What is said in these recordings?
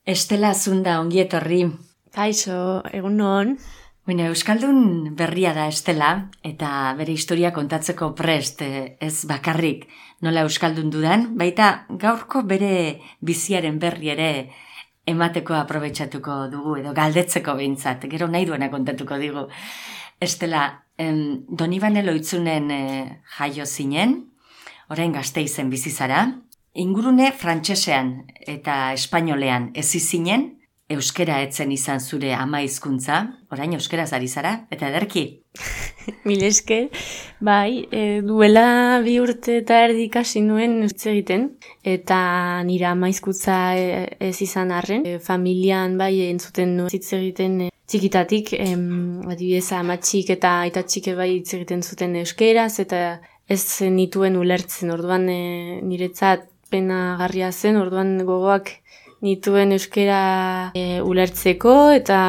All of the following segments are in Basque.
Estela Zunda, ongi etorri. Kaixo, egunon. Bueno, Euskaldun berria da Estela, eta bere historia kontatzeko prest, ez bakarrik nola Euskaldun dudan, baita gaurko bere biziaren berri ere emateko aprobetxatuko dugu, edo galdetzeko behintzat, gero nahi duena kontatuko digu. Estela, Donibane Loitzunen jaio zinen, orain Gasteizen bizi zara, ingurune frantsesean eta espainolean ezi zinen, euskera etzen izan zure ama hizkuntza, orain euskaraz ari zara, eta ederki. Mil esker, bai, duela 2 urte eta erdi ikasi nuen hitz egiten, eta nire ama hizkuntza ez izan arren. Familian bai entzuten nuen hitz egiten txikitatik, adibidez amatxik eta aitatxik bai hitz egiten zuten euskeraz, eta ez nituen ulertzen, orduan niretzat penagarria zen, orduan gogoak nituen euskera ulertzeko eta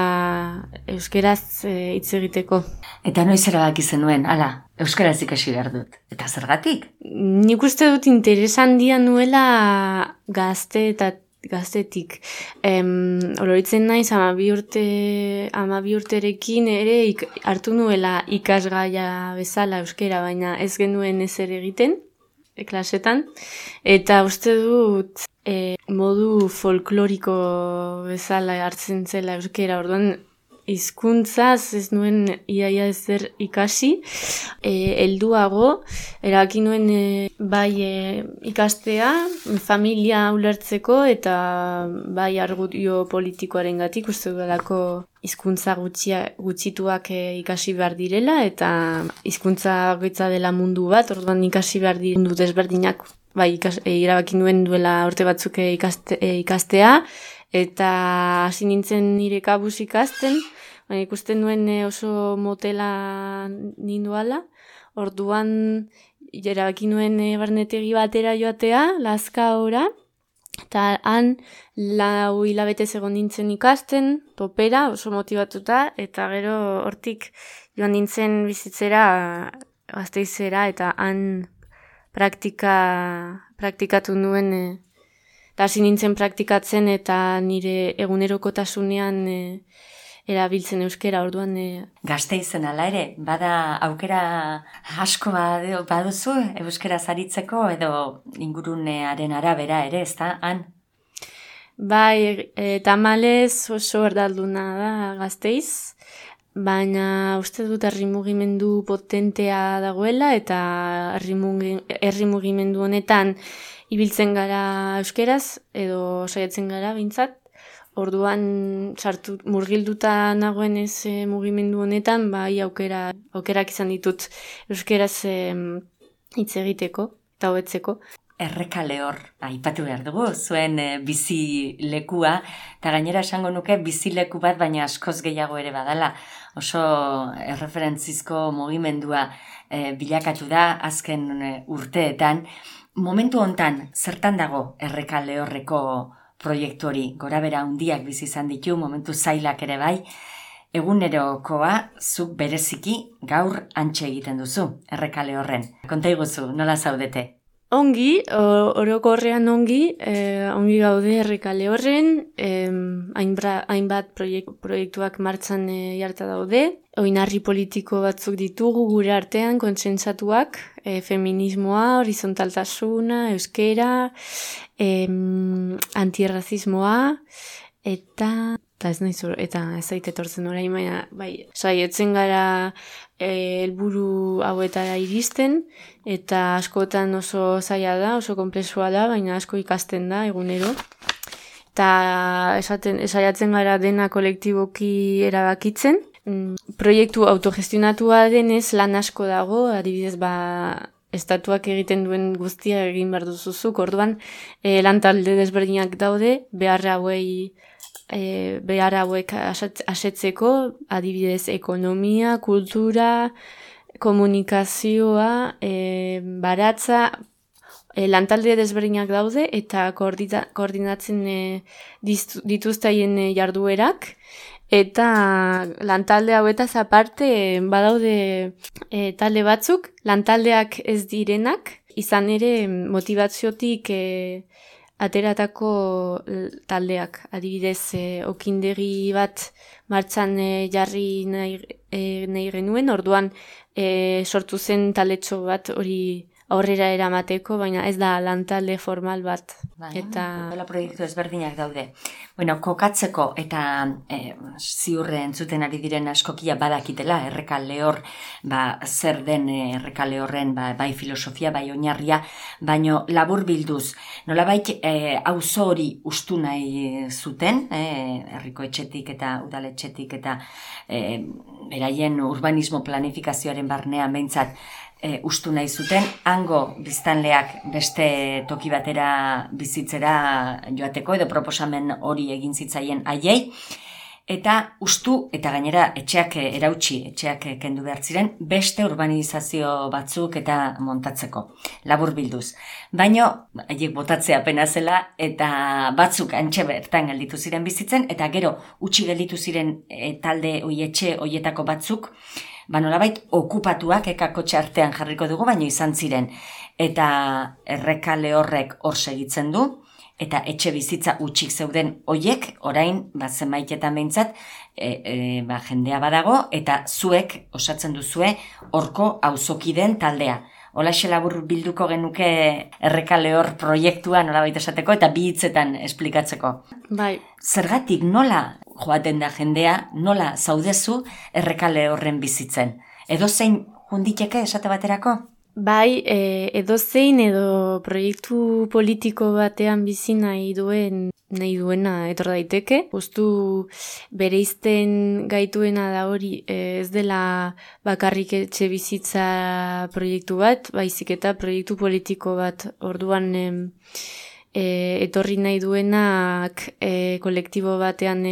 euskeraz hitz egiteko. Eta noiz erabaki zenuen, hala, euskaraz ikasi behar dut. Eta zergatik? Nik uste dut interes handia nuela gaztetik. Oloritzen naiz, 12 urterekin ere hartu nuela ikasgaia bezala euskera, baina ez genuen ezer egiten, klasetan. Eta uste dut modu folkloriko bezala hartzen zela euskera, orduan hizkuntzaz ez nuen iaia ezer ikasi, helduago erabaki nuen bai ikastea, familia ulertzeko eta bai argudio politikoarengatik uste dudalako hizkuntza gutxituak ikasi behar direla eta hizkuntza goitza dela mundu bat, orduan ikasi behar diren mundu desberdinak. Bai, erabaki nuen duela urte batzuk ikastea, eta hasi nintzen nire kabuz ikasten, baina ikusten nuen oso motela ninduala, orduan erabaki nuen barnetegi batera joatea, Lazkaora, eta han 4 hilabete egon nintzen ikasten, topera, oso motibatuta, eta gero hortik joan nintzen bizitzera Gasteizera, eta han praktikatu nuen, eta hasi nintzen praktikatzen eta nire egunerokotasunean erabiltzen euskera, orduan. Gasteizen ala ere, bada aukera asko baduzu euskaraz aritzeko edo ingurunearen arabera ere, ez da, han? Bai, tamalez oso erdalduna da Gasteiz, baina uste dut herri mugimendu potentea dagoela eta herri mugimendu honetan ibiltzen gara euskeraz edo saiatzen gara behintzat. Orduan murgilduta nagoen ez mugimendu honetan, bai aukerak izan ditut euskeraz hitz egiteko eta hobetzeko. Errekalehor aipatu behar dugu, zuen bizilekua, eta gainera esango nuke bizileku bat, baina askoz gehiago ere badala. Oso erreferentzizko mugimendua bilakatu da azken urteetan. Momentu hontan, zertan dago Errekalehorreko proiektu hori? Gorabera handiak bizi izan ditu, momentu zailak ere bai. Egunerokoa zuk bereziki gaur hantxe egiten duzu, Errekalehorren. Konta iguzu, nola zaudete? Ongi, orokorrean ongi gaude Errekalehorren, hainbat proiektuak martxan jarta daude, oinarri politiko batzuk ditugu gure artean, kontsentsatuak, feminismoa, horizontaltasuna, euskera, antirrazismoa, eta ez zait etortzen orain, baina bai, saietzen gara helburu hauetara iristen, eta askotan oso zaila da, oso konplexua da, baina asko ikasten da egunero. Eta saiatzen gara dena kolektiboki erabakitzen. Proiektu autogestionatua denez lan asko dago, adibidez estatuak egiten duen guztia egin behar duzuzuk, orduan lan talde desberdinak daude, behar hauek asetzeko, adibidez ekonomia, kultura, komunikazioa, baratza, lantalde desberdinak daude eta koordinatzen dituztaien jarduerak, eta lantalde hauetaz aparte badaude talde batzuk, lantaldeak ez direnak, izan ere motivatziotik ateratako taldeak. Adibidez, okindegi bat martxan jarri nahi genuen, orduan sortu zen taletxo bat hori aurrera eramateko, baina ez da lantalde formal bat. Eta proiektu ezberdinak daude. Bueno, kokatzeko eta ziurre entzuten ari diren askokia badakitela, erreka lehor, zer den erreka lehorren, bai filosofia, bai oinarria, baino labur bilduz. Nolabait, auzo hori ustu nahi zuten, herriko etxetik eta udaletxetik eta beraien urbanismo planifikazioaren barnean behintzat, ustu nahi zuten, hango biztanleak beste toki batera bizitzera joateko edo proposamen hori egin zitzaien haiei, eta ustu eta gainera etxeak erautsi, etxeak kendu behar ziren, beste urbanizazio batzuk eta montatzeko, labur bilduz. Baino, haiek botatzea pena zela eta batzuk antxe bertan gelditu ziren bizitzen, eta gero utzi gelditu ziren talde etxe hoietako batzuk, nolabait okupatuak ekakotxe artean jarriko dugu, baino izan ziren. Eta erreka lehorrek hor segitzen du, eta etxe bizitza utxik zeuden hoiek, orain, zenbaitetan behintzat, jendea badago, eta zuek osatzen duzue horko auzokideen taldea. Holaxe labur bilduko genuke erreka lehor proiektua nolabait esateko, eta bi hitzetan esplikatzeko. Bai. Zergatik nola joaten da jendea, nola zaudezu erreka lehorren bizitzen? Edozein junditeke esate baterako? Bai, edozein edo proiektu politiko batean bizi nahi duena etor daiteke. Justu bereizten gaituena da hori, ez dela bakarrik etxe bizitza proiektu bat, baizik eta proiektu politiko bat. Orduan etorri nahi duenak kolektibo batean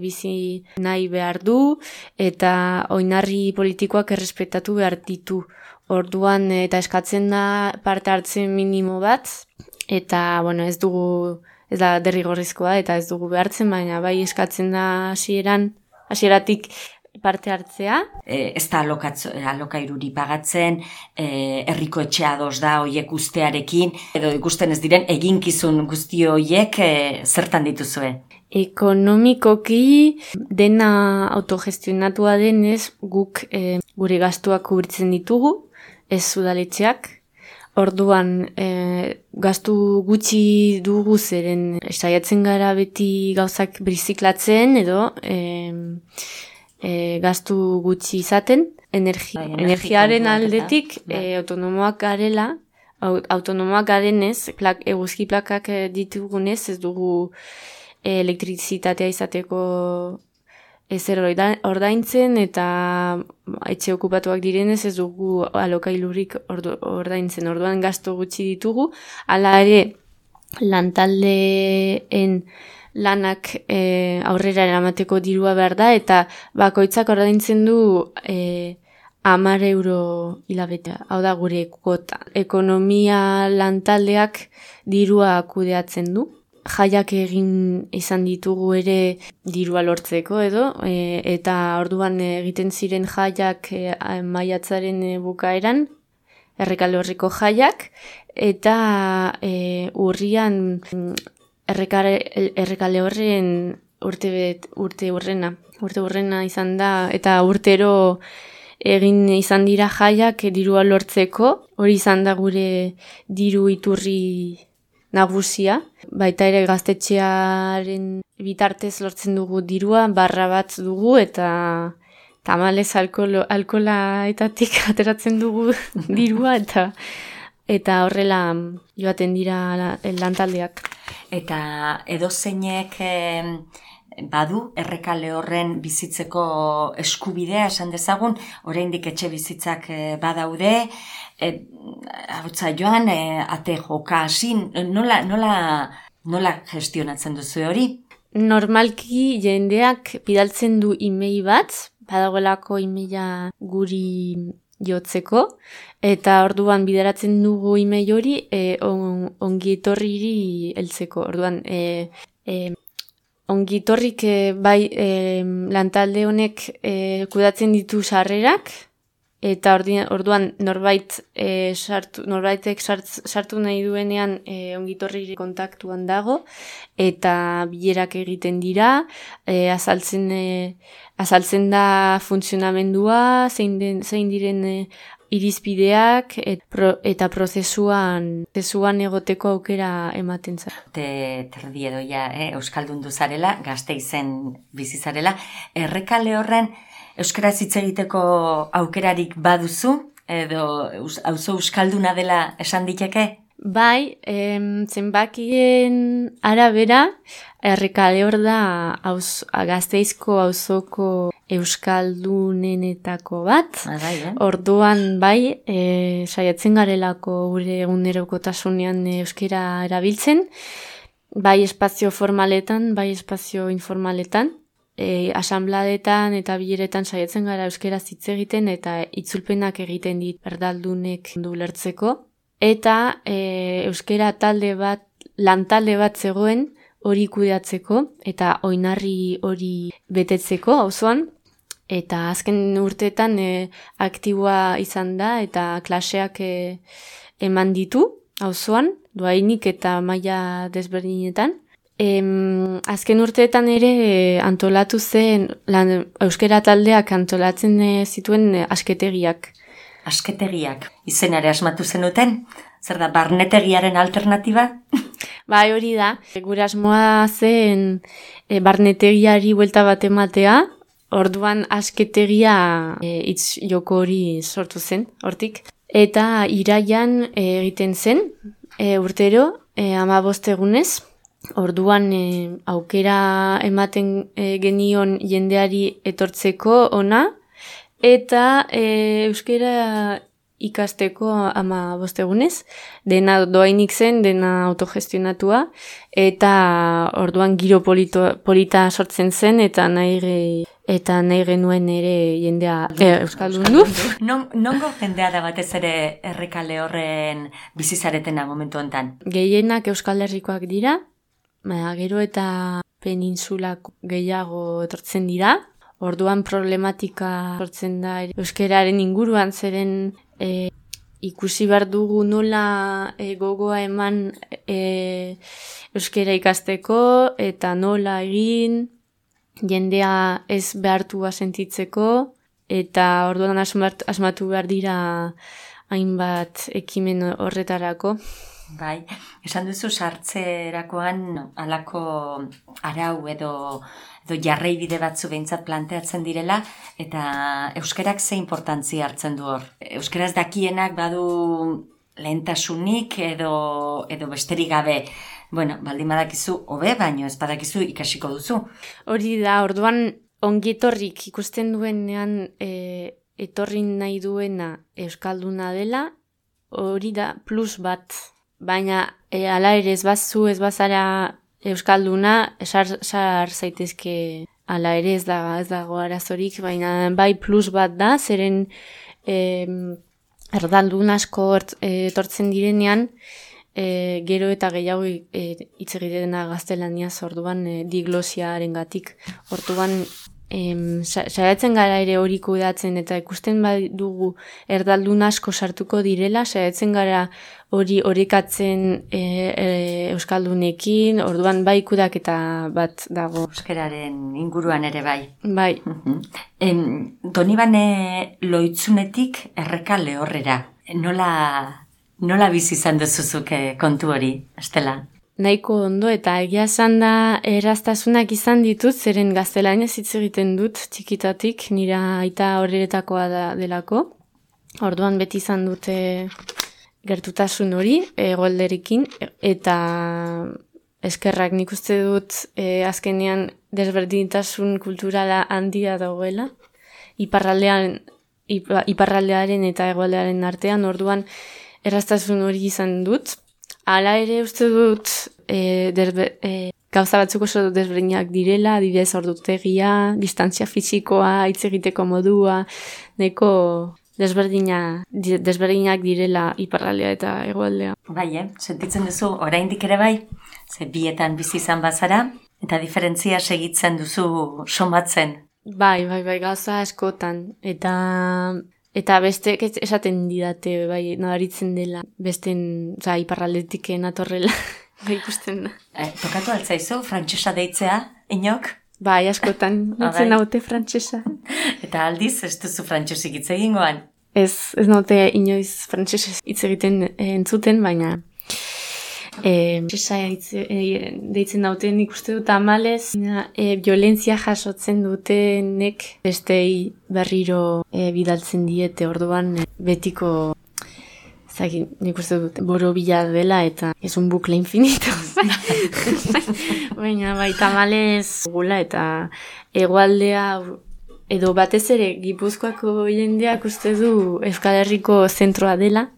bizi nahi behar du, eta oinarri politikoak errespetatu behar ditu. Orduan eta eskatzen da parte hartzen minimo bat, eta ez da derrigorrezkoa eta ez dugu behartzen, baina bai eskatzen da hasieratik parte hartzea. Ez da alokairuri pagatzen, herriko etxea ados da hoiek ustearekin, edo ikusten ez diren eginkizun guzti hoiek zertan dituzue? Ekonomikoki dena autogestionatua denez guk gure gastuak kubritzen ditugu, ez udaletxeak. Orduan, gastu gutxi dugu zeren saiatzen gara beti gauzak birziklatzen edo gastu gutxi izaten. Energiaren aldetik autonomoak garenez, eguzki plakak ditugunez, ez dugu elektrizitatea izateko ezer ordaintzen, eta etxe okupatuak direnez ez dugu alokailurik ordaintzen. Orduan gastu gutxi ditugu, hala ere lantaldeen lanak aurrera eramateko dirua behar da, eta bakoitzak ordaintzen du 10 euro hilabetea. Hau da gure kuota. Ekonomia lantaldeak dirua kudeatzen du. Jaiak egin izan ditugu ere dirua lortzeko edo, eta orduan egiten ziren jaiak maiatzaren bukaeran, erreka lehorreko jaiak, eta urrian erreka lehorren urte urrena izan da, eta urtero egin izan dira jaiak dirua lortzeko, hori izan da gure diru iturri nagusia, baita ere gaztetxearen bitartez lortzen dugu dirua, barra bat dugu, eta tamalez alkolaetatik ateratzen dugu dirua, eta horrela joaten dira lantaldeak. Eta edozeinek badu erreka lehorren bizitzeko eskubidea esan dezagun, oraindik etxe bizitzak badaude, hautza joan, ate joka hasi, nola gestionatzen duzu hori? Normalki jendeak bidaltzen du email bat, badagoelako emaila guri jotzeko, eta orduan bideratzen dugu email hori ongietorriri heltzeko. Orduan, ongitorrik bai lantalde honek kudatzen ditu sarrerak, eta orduan norbaitek sartu nahi duenean ongitorri kontaktuan dago, eta bilerak egiten dira, azaltzen da funtzionamendua, zein diren irizpideak eta prozesuan egoteko aukera ematen za. Terdi edo ja, euskaldundu zarela, Gasteizen bizi zarela, Errekale horren euskaraz hitz egiteko aukerarik baduzu, edo auzo euskalduna dela esan diteke? Bai, zenbakien arabera, Errekale hor da Gasteizko auzoko euskaldunenetako bat. Orduan bai, saiatzen garelako gure egunerokotasunean euskera erabiltzen, bai espazio formaletan, bai espazio informaletan, asanbladetan eta bileretan saiatzen gara euskaraz hitz egiten eta itzulpenak egiten dit erdaldunek ulertzeko. Eta euskera lantalde bat zegoen hori kudeatzeko eta oinarri hori betetzeko auzoan, eta azken urteetan aktiboa izan da eta klaseak eman ditu auzoan, dohainik eta maila desberdinetan. Azken urteetan ere antolatu zen, euskera taldeak antolatzen zituen asketegiak. Asketegiak, izenare asmatu zenuten? Zer da, barnetegiaren alternatiba? Bai, hori da. Gure asmoa zen barnetegiari buelta bat ematea, orduan asketegia hitz joko hori sortu zen, hortik. Eta iraian egiten zen, urtero, 15 egunez, orduan aukera ematen genion jendeari etortzeko ona, eta euskera ikasteko 15 egunez, dena doainik zen, dena autogestionatua, eta orduan giro polita sortzen zen, eta nahi genuen ere jendea euskaldundu. Nongo jendea da batez ere Errekale horren bizizaretena momentu hontan? Gehienak Euskal Herrikoak dira, gero eta peninsulak gehiago etortzen dira. Orduan problematika sortzen da euskararen inguruan, zeren ikusi behar dugu nola gogoa eman euskara ikasteko eta nola egin jendea ez behartua sentitzeko, eta orduan asmatu behar dira hainbat ekimen horretarako. Bai, esan duzu sartzerakoan halako arau edo jarraibide batzu behintzat planteatzen direla, eta euskarak ze inportantzia hartzen du hor? Euskaraz dakienak badu lehentasunik edo besterik gabe? Bueno, baldin badakizu hobe, baino ez badakizu ikasiko duzu. Hori da, orduan ongietorrik ikusten duenean etorri nahi duena euskalduna dela, hori da plus bat. Baina hala ere ez bazara euskalduna, sar zaitezke hala ere ez dago arazorik, baina bai plus bat da, zeren erdaldun asko etortzen direnean, gero eta gehiago hitz egitena gaztelaniaz, orduan diglosiarengatik. Orduan saiatzen gara ere hori kudeatzen, eta ikusten dugu erdaldun asko sartuko direla, saiatzen gara hori orekatzen euskaldunekin, orduan bai kudaketa bat dago. Euskararen inguruan ere bai. Bai. Donibane Loitzunetik Errekale horrera. Nola bizi izan duzuzuk kontu hori, Estela? Nahiko ondo, eta egia esan da erraztasunak izan ditut, zeren gaztelaniaz hitz egiten dut txikitatik, nira aita horretakoa delako. Orduan beti izan dute gertutasun hori, egoalderekin, eta eskerrak nik uste dut azkenean desberdintasun kulturala handia dagoela, iparraldearen eta egoaldearen artean, orduan erraztasun hori izan dut. Hala ere uste dut gauza batzuk oso desberdinak direla, adibidez ordutegia, distantzia fisikoa, hitz egiteko modua, neko desberdinak direla iparraldea eta hegoaldea. Bai, sentitzen duzu oraindik ere bai, ze bietan bizi izan bazara, eta diferentzia segitzen duzu somatzen. Bai, gauza askotan, eta Eta beste, esaten didate, bai, nabaritzen dela, besten, iparraldetik natorrela, bai ikusten da. Tokatu altzaizu, frantsesa deitzea, inok? Bai, askotan, nintzen naute frantsesa. Eta aldiz, ez duzu frantsesik hitz egingoan? Ez naute inoiz frantsesez hitz egiten entzuten, baina frantsesa deitzen dauten ikuste dut amalez, violentzia jasotzen dutenek bestei berriro bidaltzen diete, orduan betiko nik uste dut boro bila dela eta ez un bukle infinito. Baina tamalez gula eta hegoaldea edo batez ere Gipuzkoako jendeak uste du Euskal Herriko zentroa dela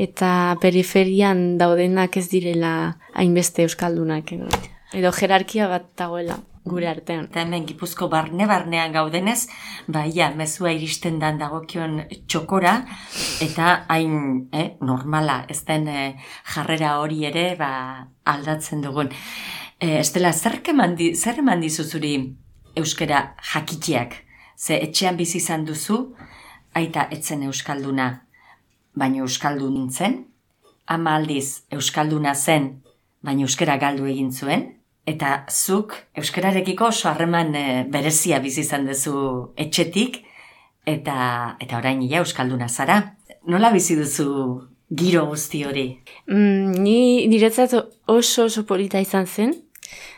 eta periferian daudenak ez direla hainbeste euskaldunak edo jerarkia bat dagoela gure artean. Eta hemen Gipuzko barnean gaudenez, mezua iristen dan dagokion txokora, eta hain normala, ez den jarrera hori ere aldatzen dugun. Estela, zer eman dizuzuri euskara jakiteak? Ze etxean bizi izan duzu, aita etzen euskalduna, baina euskaldun nintzen, ama aldiz euskalduna zen, baina euskara galdu egin zuen, eta zuk euskararekiko oso harreman berezia bizi izan duzu etxetik, eta orain euskalduna zara. Nola bizi duzu giro guzti hori? Ni niretzat oso polita izan zen,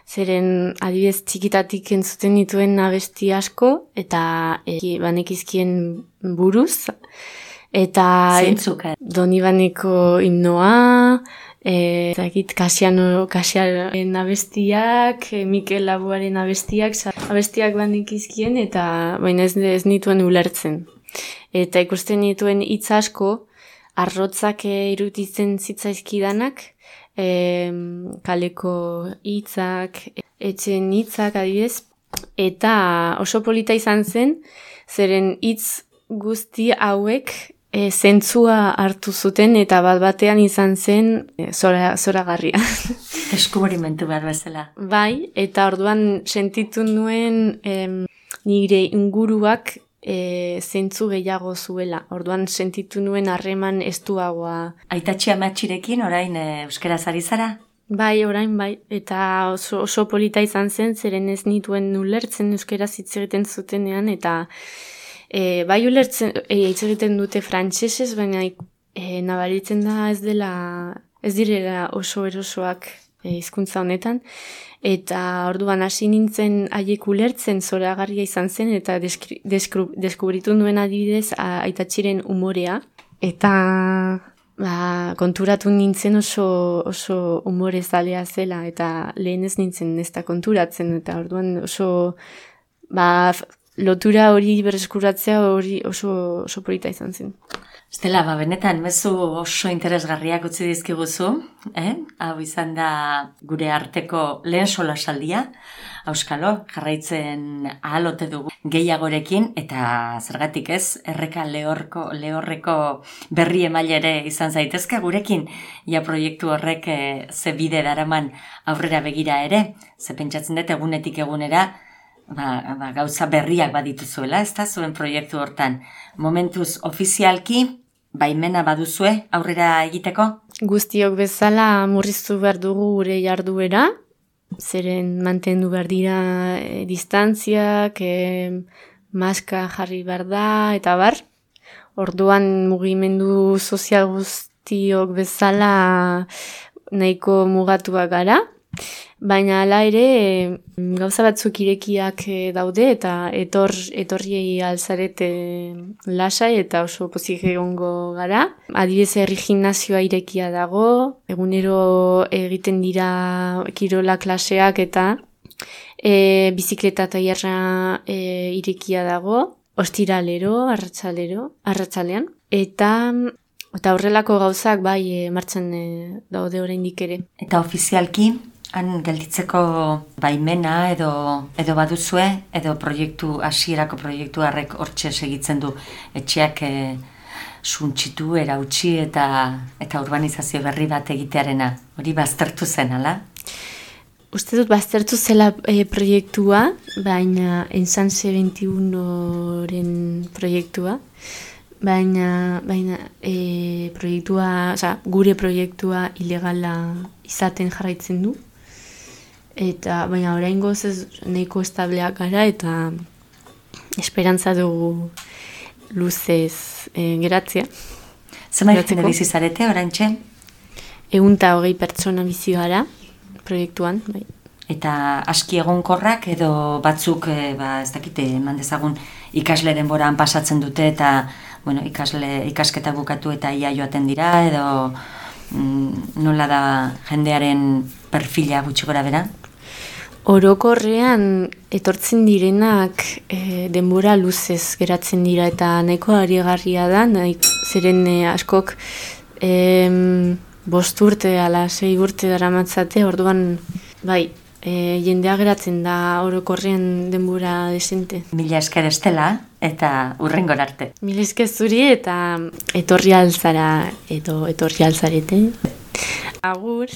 zeren adibidez txikitatik entzuten dituen abesti asko, eta banekizkien buruz, eta Donibaneko himnoa, Kasiaren abestiak, Mikel Laboaren abestiak banekizkien, eta baina ez nituen ulertzen. Eta ikusten nituen hitz asko, arrotzak irutitzen zitzaizkidanak, kaleko hitzak, etxen hitzak adibidez, eta oso polita izan zen, zeren hitz guzti hauek zentzua hartu zuten eta bat-batean izan zen zoragarria. Deskubrimentu behar bezala. Bai, eta orduan sentitu nuen nire inguruak zentzu gehiago zuela. Orduan sentitu nuen harreman estuagoa. Aitatxi amatxirekin orain euskaraz ari zara? Bai, orain bai. Eta oso polita izan zen, zeren ez nituen ulertzen euskaraz hitz egiten zutenean, eta bai ulertzen hitz egiten dute frantsesez, baina nabaritzen da ez direla oso erosoak hizkuntza honetan, eta orduan hasi nintzen haiek ulertzen zoragarria izan zen, eta deskubritu nuen adibidez aitatxiren umorea, eta konturatu nintzen oso umorezalea zela, eta lehen ez nintzen ez da konturatzen, eta orduan oso lotura hori berreskuratzea hori oso polita izan zen. Estela, benetan, mezu oso interesgarriak utzi dizkiguzu, hau izan da gure arteko lehen solasaldia, auskalo, jarraitzen ahalote dugu gehiagorekin, eta zergatik ez, erreka lehorreko berri emailere izan zaitezke gurekin, proiektu horrek ze bide daraman aurrera begira ere, ze pentsatzen dut egunetik egunera, gauza berriak badituzuela, ez da, zuen proiektu hortan. Momentuz ofizialki, baimena baduzue aurrera egiteko? Guztiok bezala murriztu behar dugu gure jarduera, zeren mantendu behar dira distantziak, maska jarri behar da, eta bar. Orduan mugimendu sozial guztiok bezala nahiko mugatuak gara. Baina hala ere gauza batzuk irekiak daude eta etorriei alzarete lasai eta oso pozik egongo gara. Adibidez herri gimnasioa irekia dago, egunero egiten dira kirola klaseak eta bizikleta tailerra irekia dago, ostiralero, arratsalean. Eta horrelako gauzak bai martxan daude oraindik ere. Eta ofizialki han gelditzeko baimena edo baduzue, edo hasierako proiektu harrek hortxe segitzen du etxeak suntsitu, erautsi eta urbanizazio berri bat egitearena. Hori baztertu zen, ala? Uste dut baztertu zela proiektua, baina Ensanse 21-ren proiektua. baina proiektua, gure proiektua ilegala izaten jarraitzen du. Eta baina oraingoz ez nahiko estableak gara eta esperantza dugu luzez geratzea. Zenbait jende bizi zarete oraintxe? 120 pertsona bizi gara proiektuan, bai. Eta aski egonkorrak edo batzuk, ez dakite, eman dezagun ikasle denboran pasatzen dute eta ikasketa bukatu eta ia joaten dira edo nola da jendearen perfila gutxi gora bera? Orokorrean etortzen direnak denbora luzez geratzen dira eta nahiko arigarria da, zeren askok 5 urte ala 6 urte daramatzate, orduan bai, jendea geratzen da orokorrean denbora desente. Mila esker Estela eta hurrengor arte. Mila esker zuri eta etorri altzara edo etorri altzarete. Agur!